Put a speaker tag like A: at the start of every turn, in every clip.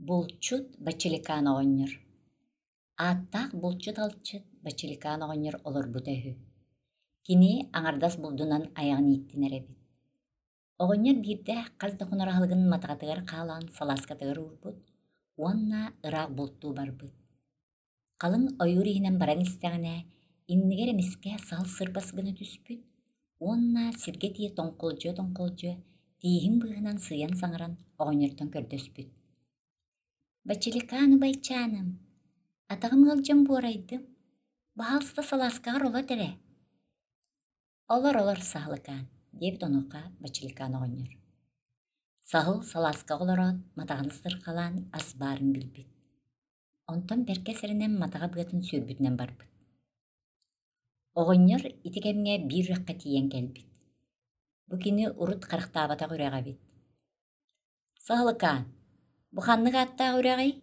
A: Булчут Бачиликаан оҕонньор Ааттаах булчут-алчыт Бачиликаан оҕонньор олорбута үһү. Кини аҥардас булдунан айаҕын ииттинэр эбит. Оҕонньор биирдэ хас да хонор аһылыгын матаҕатыгар хаалаан салааскатыгар уурбут уонна ыраах бултуу барбыт. Халыҥ ойуур иһинэн баран истэҕинэ, иннигэр эмискэ саһыл сырбас гына түспүт уонна сиргэ тиийэ тоҥхолдьуйа-тоҥхолдьуйа тииһин быыһынан сыыйан саҥаран оҕонньортон көрдөспүт: «Бачиликаан убайчааным, атаҕым ыалдьан буорайдым, баһаалыста салааскаҕар олот эрэ» «Олор-олор, саһылыкаан» диэбит онуоха Бачиликаан оҕонньор. Саһыл салааскаҕа олороот, матаҕын сырхалаан ас баарын билбит. Онтон бэркэ сэрэнэн матаҕа быатын сүөрбүтүнэн барбыт. Оҕонньор ити кэмҥэ биир үрэххэ тиийэн кэлбит. Бу кини урут харахтаабатах үрэҕэ эбит. «Саһылыкаан, бу ханнык ааттаах үрэҕий?»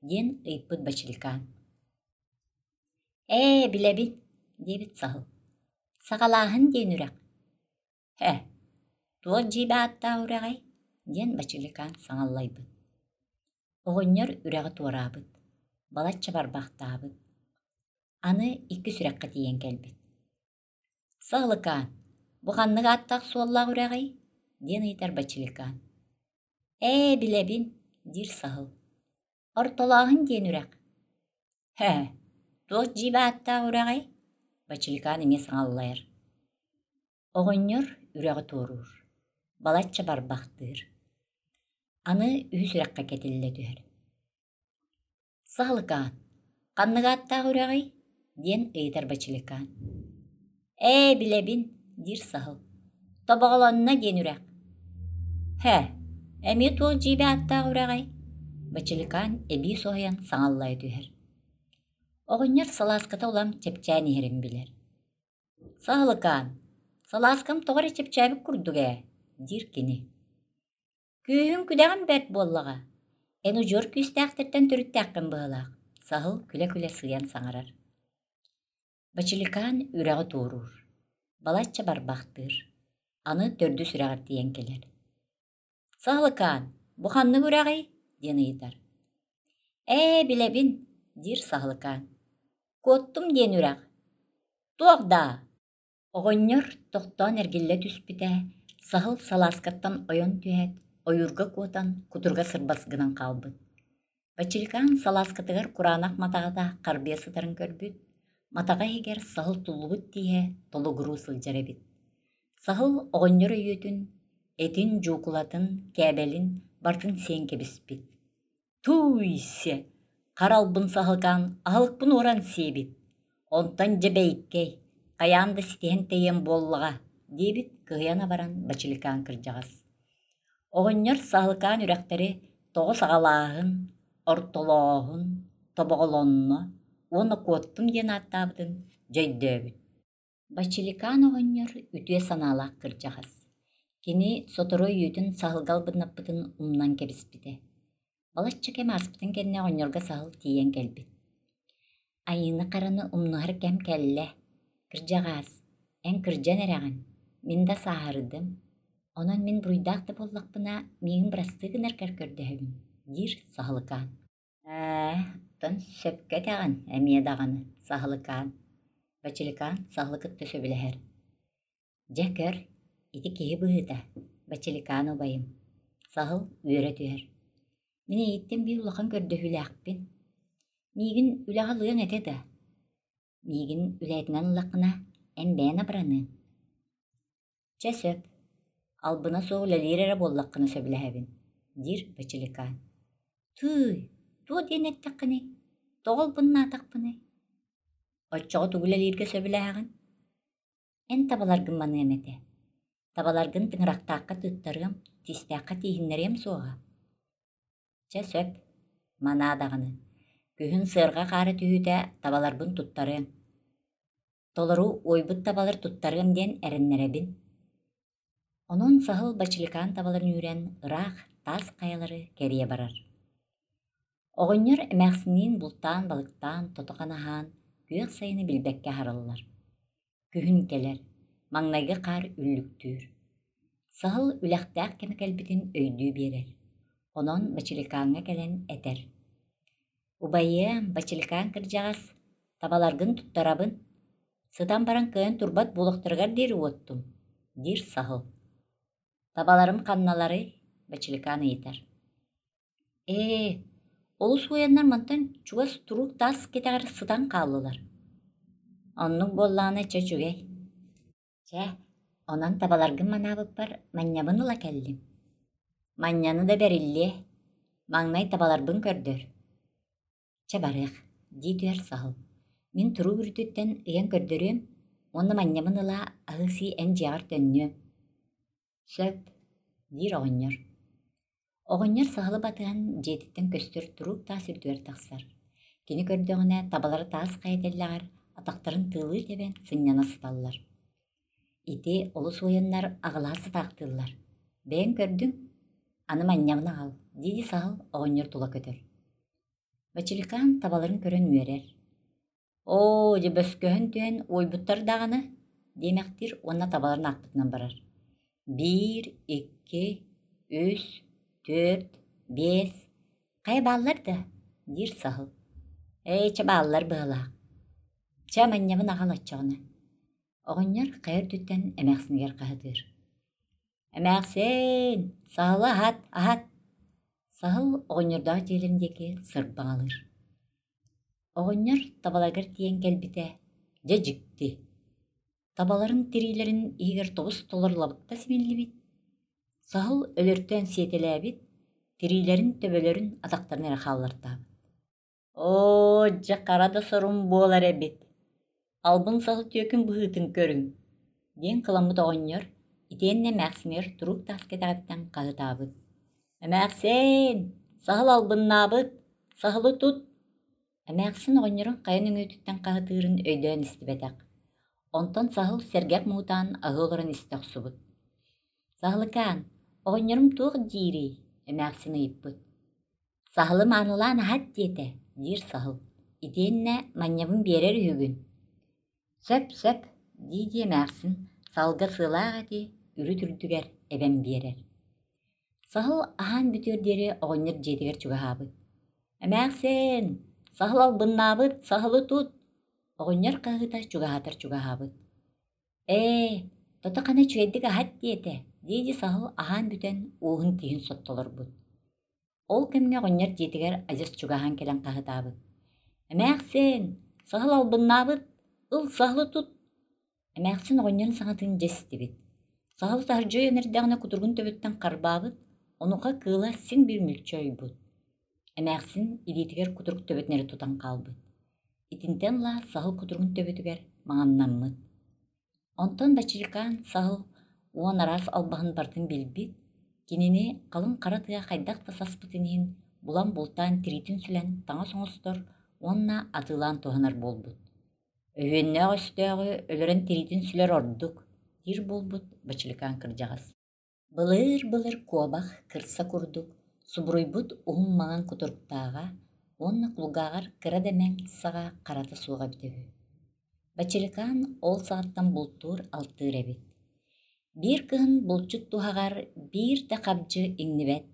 A: диэн ыйыппыт Бачиликаан. «Ээ, билэбин» диэбит саһыл. «Саҕалааһын диэн үрэх «Һэ, туох дьиибэ ааттаах үрэҕэй?» диэн Бачиликаан саҥаллайбыт. Оҕонньор үрэҕи туораабыт, балачча барбахтаабыт. Аны иккис үрэххэ тиийэн кэлбит. «Саһылыкаан, бу ханнык ааттаах суоллаах үрэҕий?» диэн ыйытар Бачиликаан. «Ээ, билэбин» диир саһыл. «Ортолооһун диэн үрэх». «Һэ, туох дьиибэ ааттаах үрэҕэй?» Бачиликаан эмиэ саҥаллайар. Оҕонньор үрэҕи туоруур, балачча барбахтыыр. Аны үһүс үрэххэ кэтиллэ түһэр. «Саһылыкаан, ханнык ааттаах үрэҕий?» диэн ыйытар Бачиликаан. «Ээ, билэбин» диир саһыл. «Тобоҕолонно диэн үрэх». «Һэ, эмиэ туох дьиибэ ааттаах үрэҕий?» Бачиликаан эбии соһуйан саҥаллайа түһэр. Оҕонньор салааската улам чэпчээн иһэрин билэр. «Саһылыкаан, салааскам тоҕо эрэ чэпчээбит курдук ээ» диир кини. «Күүһүҥ-күдэҕин бэрт буоллаҕа, эн удьуор күүстээхтэртэн төрүттээххин быһыылаах», саһыл күлэ-күлэ сыыйан саҥарар. Бачиликаан үрэҕи туоруур, балачча барбахтыыр, аны төрдүс үрэҕэр тиийэн кэлэр. «Саһылыкаан, бу ханнык үрэҕий?» диэн ыйытар. «Ээ, билэбин» диир Саһылыкаан. «Куоттум диэн үрэх. Туох даа?» Оҕонньор тохтоон эргиллэ түспүтэ, саһыл салааскаттан ойон түһээт, ойуурга куотан, кутуруга сырбас гынан хаалбыт. Бачиликаан салааскатыгар кураанах матаҕата харбыйа сытарын көрбүт, матаҕа иһигэр саһыл туллубут тииһэ толугуруу сылдьар эбит. Саһыл оҕонньор өйүөтүн, этин, дьуукулатын, кээбэлин барытын сиэн кэбиспит. Тууй-се, хара албын саһылкаан аһылыкпын уоран сиэбит, онтон дьэ бэйиккэй, хайаан да ситиһэн тэйиэм буоллаҕа, диэбит кыһыйан абаран Бачиликаан кырдьаҕас. Оҕонньор саһылкаан үрэхтэри тоҕо саҕалааһын, ортолооһун, тобоҕолонно уонна куоттум диэн ааттаабытын дьэ өйдөөбүт. Бачиликаан оҕонньор үтүө санаалаах кырдьаҕас. Кини сотору өйүөтүн саһылга албыннаппытын умнан кэбиспитэ. Балачча кэм ааспытын кэннэ оҕонньорго саһыл тиийэн кэлбит. Айыыны-хараны умнуһар кэм кэллэ. Кырдьаҕаас, эн кырдьан эрэҕин, мин да сааһырдым. Онон мин буруйдаах да буоллахпына, миигин бырастыы гынаргар көрдөһөбүн, диир Саһылыкаан. Ээ, оттон сөпкө этэҕин эмиэ даҕаны, Саһылыкаан. Бачиликаан саһылы кытта сөбүлэһэр. Дьэ көр, ити киһи быһыыта, Бачиликаан убайым. Саһыл үөрэ түһэр. Мин эйиттэн биир улахан көрдөһүүлээхпин. Миигин үлэҕэ ылыаҥ этэ да? Миигин үлэһитинэн ыллаххына, эн бэйэн абыраныаҥ. Чэ сөп, албына суох үлэлиир эрэ буоллаххына сөбүлэһэбин, диир Бачиликаан. Тыый, туох диэн эттэххиний? Тоҕо албыннаатахпыный? Оччоҕо тугу үлэлииргэ сөбүлэһэҕин? Эн табаларгын маныам этэ. Табаларгын тыҥырахтаахха тыыттарыам, тиистээххэ тииһиннэриэм суоҕа. Чэ сөп, манаа даҕаны. Күһүн сыарҕа хаара түһүүтэ табаларбын туттарыаҥ. Толору уойбут табалар туттарыам диэн эрэннэрэбин. Онон саһыл бачиликаан табаларын үүрэн ыраах таас хайалары кэрийэ барар. Оҕонньор эмээхсинниин бултаан-балыктаан тото-хана аһаан, күөх сайыны билбэккэ аһараллар. Күһүн кэлэр, маҥнайгы хаар үллүктүүр. Саһыл үлэхтээх кэмэ кэлбитин өйдүү биэрэр. Онон Бачиликааҥҥа кэлэн этэр: «Убайыам, Бачиликаан кырдьаҕас, табаларгын туттарабын, сытан баран кыайан турбат буолуохтарыгар диэри уоттум», диир саһыл. «Табаларым ханналарый?» Бачиликаан ыйытар. «Ээ, олус уойаннар мантан чугас туруук таас кэтэҕэр сытан хааллылар. Оннук буоллаҕына чэ үчүгэй. Чэ, онон табаларгын манаабыппар манньабын ыла кэллим. Манньаны да бэриллиэ, маҥнай табаларбын көрдөр. Чэ барыах, дии түһэр саһыл. Мин туруук үрдүттэн ыйан көрдөрүөм уонна манньабын ыла аһыы-сии эн дьиэҕэр төннүөм. Сөп, диир оҕонньор. Оҕонньор саһылы батыһан дьиэтиттэн көстөр туруук таас үрдүгэр тахсар. Кини көрдөҕүнэ табалара таас хайа тэллэҕэр атахтарын тыалыы тэбэн сынньана сыталлар. Ити олус уойаннар аҕылаһа сытаахтыыллар. Бэйэҥ көрдүҥ, аны манньабын аҕал, дии-дии саһыл оҕонньор тула көтөр. Бачиликаан табаларын көрөн үөрэр. Оо, дьэ бөскөһөн түһэн уойбуттар даҕаны, диэмэхтиир уонна табаларын аахпытынан барар. Биир, икки, үс, түөрт, биэс, хайа бааллар да, диир саһыл. Ээ, чэ бааллар быһалаах. Чэ, манньабын аҕал оччоҕуна. Оҕонньор хайа үрдүттэн эмээхсинигэр хаһытыыр. Эмээхсиэн, саһылы аһат, аһат! Саһыл оҕонньордоох дьиэлэрин диэки сырбаҥалыыр. Оҕонньор табаларыгар тиийэн кэлбитэ, дьэ дьикти, табаларын тириилэрин иһигэр тобус-толору лабыкта симиллибит, саһыл өлөртөөн сиэтэлээбит, тириилэрин төбөлөрүн атахтарын эрэ хааллартаабыт. Оо, дьэ хара да сорум буолар эбит, албын саһыл түөкүн быһыытын көрүҥ, диэн кыламмыт оҕонньор итиэннэ эмээхсинигэр туруук таас кэтэҕиттэн хаһытаабыт: «Эмээхсиэн, саһыл албыннаабыт, саһылы тут!» Эмээхсин оҕонньорун хайа нөҥүөтүттэн хаһытыырын өйдөөн истибэтэх. Онтон саһыл сэргэх муҥутаан аһыы олорон истэ охсубут. «Саһылыкаан, оҕонньорум туох диирий?» эмээхсин ыйыппыт. «Саһылы маанылаан аһат диэтэ, диир саһыл, итиэннэ манньабын биэрэр үһүгүн. Сөп, сөп, дии-дии эмээхсин саһылга сыалаах эти үрүт үрдүгэр эбэн биэрэр. Саһыл аһаан бүтүөр диэри оҕонньор дьиэтигэр чугаһаабыт. «Эмээхсиэн, саһыл албыннаабыт, саһылы тут!» Оҕонньор хаһыыта чугаһаатар чугаһаабыт. «Ээ, тото-хана үчүгэйдик аһат диэтэ, дии-дии саһыл аһаан бүтэн уоһун тииһин соттолорбут. Ол кэмҥэ оҕонньор дьиэтигэр адьас чугаһаан кэлэн хаһытаабыт: «Эмээхсиэн, саһыл албыннаабыт, ыл саһылы тут!» Эмээхсин оҕонньорун саҥатын дьэ истибит. Саһыл таһырдьа ойон эрдэҕинэ кутуругун төбөтүттэн харбаабыт, онуоха кыыла син биир мүлчү ойбут. Эмээхсин илиитигэр кутурук төбөтүн эрэ тутан хаалбыт. Итинтэн ыла саһыл кутуругун төбөтүгэр маҥаннаммыт. Онтон Бачиликаан саһыл уон араас албаһын барытын билбит, кинини халыҥ хара тыа хайдах да саспытын иһин булан бултаан тириитин сүлэн таҥас оҥостор уонна атыылаан туһанар буолбут. Өһүөннээх өстөөҕү өлөрөн тириитин сүлэр ордук, диир буолбут Бачиликаан кырдьаҕас. Былыр-былыр куобах кырса курдук субуруйбут уһун маҥан кутуруктааҕа уонна кулгааҕар кыра да мэҥ саҕа харата суоҕа эбитэ үһү. Бачиликаан ол саҕаттан бултуур-алтыыр эбит. Биир кыһын булчут туһаҕар биир да хабдьы иҥнибэт,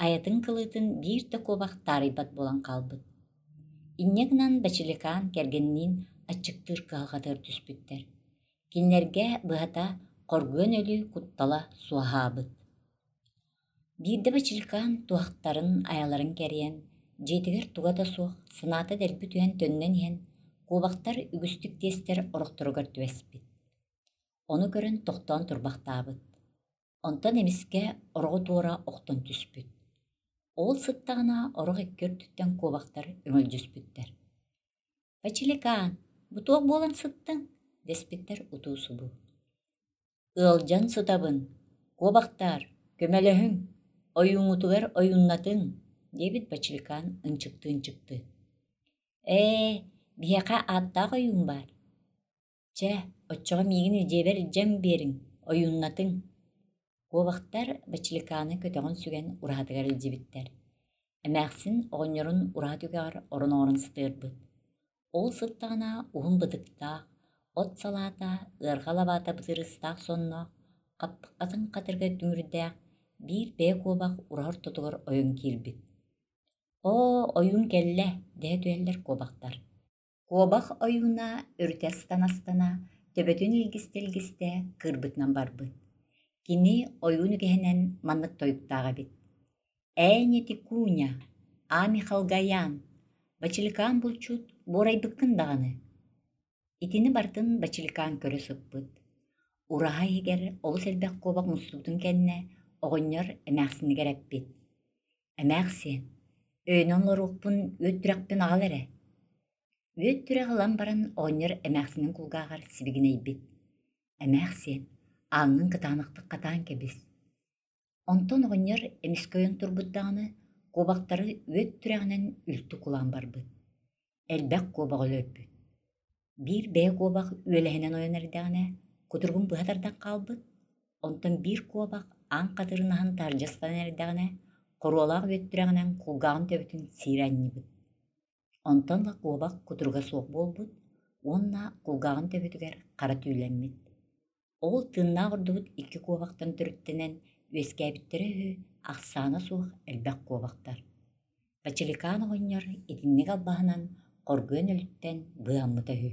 A: айатын кылыытын биир да куобах таарыйбат буолан хаалбыт. Инньэ гынан Бачиликаан кэргэнниин аччыктыыр кыһалҕатыгар түспүттэр. Кинилэргэ, быһата, хоргуйан өлүү куттала суоһаабыт. Биирдэ Бачиликаан туһахтарын, айаларын кэрийэн, дьиэтигэр туга да суох, санаата дэлби түһэн төннөн иһэн, куобахтар үгүстүк тиэстэр орохторугар түбэспит. Ону көрөн тохтоон турбахтаабыт. Онтон эмискэ ороҕу туора охтон түспүт. Ол сыттаҕына орох икки өртүттэн куобахтар өҥөлдьүспүттэр. «Бачиликаан, бу туох буолан сыттыҥ?» дэспиттэр утуу-субуу. «Ыалдьан сытабын, куобахтаар, көмөлөһүҥ, ойууҥҥутугар ойууннатыҥ» диэбит Бачиликаан ынчыктыы-ынчыктыы. «Ээ, биһиэхэ ааттаах ойуун баар. Чэ, оччоҕо миигин дьиэбэр илдьэн биэриҥ, ойууннатыҥ» Куобахтар Бачиликааны көтөҕөн сүгэн ураһатыгар илдьибиттэр. Эмээхсин оҕонньорун ураһа түгэҕэр орон оҥорон сытыарбыт. Ол сыттаҕына уһун бытыктаах, от салаата, ыарҕа лабаата бытырыыстаах сонноох, хаппыкатын хатырыга дүҥүрдээх, биир бэйэ куобах ураһа ортотугар ойон киирбит. «Оо, ойуун кэллэ» дэһэ түһэллэр куобахтар. Куобах ойууна өрүтэ астана-астана, төбөтүн илгистэ-илгистэ кыырбытынан барбыт. Кини ойуун үгэһинэн маннык тойуктаах эбит: «Ээни Тикуня, Ами Халгаян, Бачиликаан булчут буорайбыккын даҕаны». Итини барытын Бачиликаан көрө сыппыт. Ураһа иһигэр олус элбэх куобах мустубутун кэннэ оҕонньор эмээхсинигэр эппит: «Эмээхсиэн, өйөнөн олоруохпун үөт түрэхпин аҕал эрэ». Үөт түрэх ылан баран оҕонньор эмээхсинин кулгааҕар сибигинэйбит: «Эмээхсиэн, ааҥҥын кытаанахтык хатаан кэбис». Онтон оҕонньор эмискэ ойон турбут даҕаны, куобахтары үөт түрэҕинэн үлтү кулаан барбыт. Элбэх куобаҕы өлөрбүт. Биир бэйэ куобах үөлэһинэн ойон эрдэҕинэ, кутуругун быһа тардан хаалбыт, онтон биир куобах аан хатырын аһан таһырдьа ыстанан эрдэҕинэ, хоруолаах үөттүрэҕинэн кулгааҕын төбөтүн сиирэ анньыбыт. Онтон ыла куобах кутуруга суох буолбут уонна кулгааҕын төбөтүгэр хара түүлэммит. Ол тыыннаах ордубут икки куобахтан төрүттэнэн үөскээбиттэрэ үһү ахсаана суох элбэх куобахтар. Бачиликаан оҕонньор итинник албаһынан хоргуйан өлүттэн быыһаммыта үһү.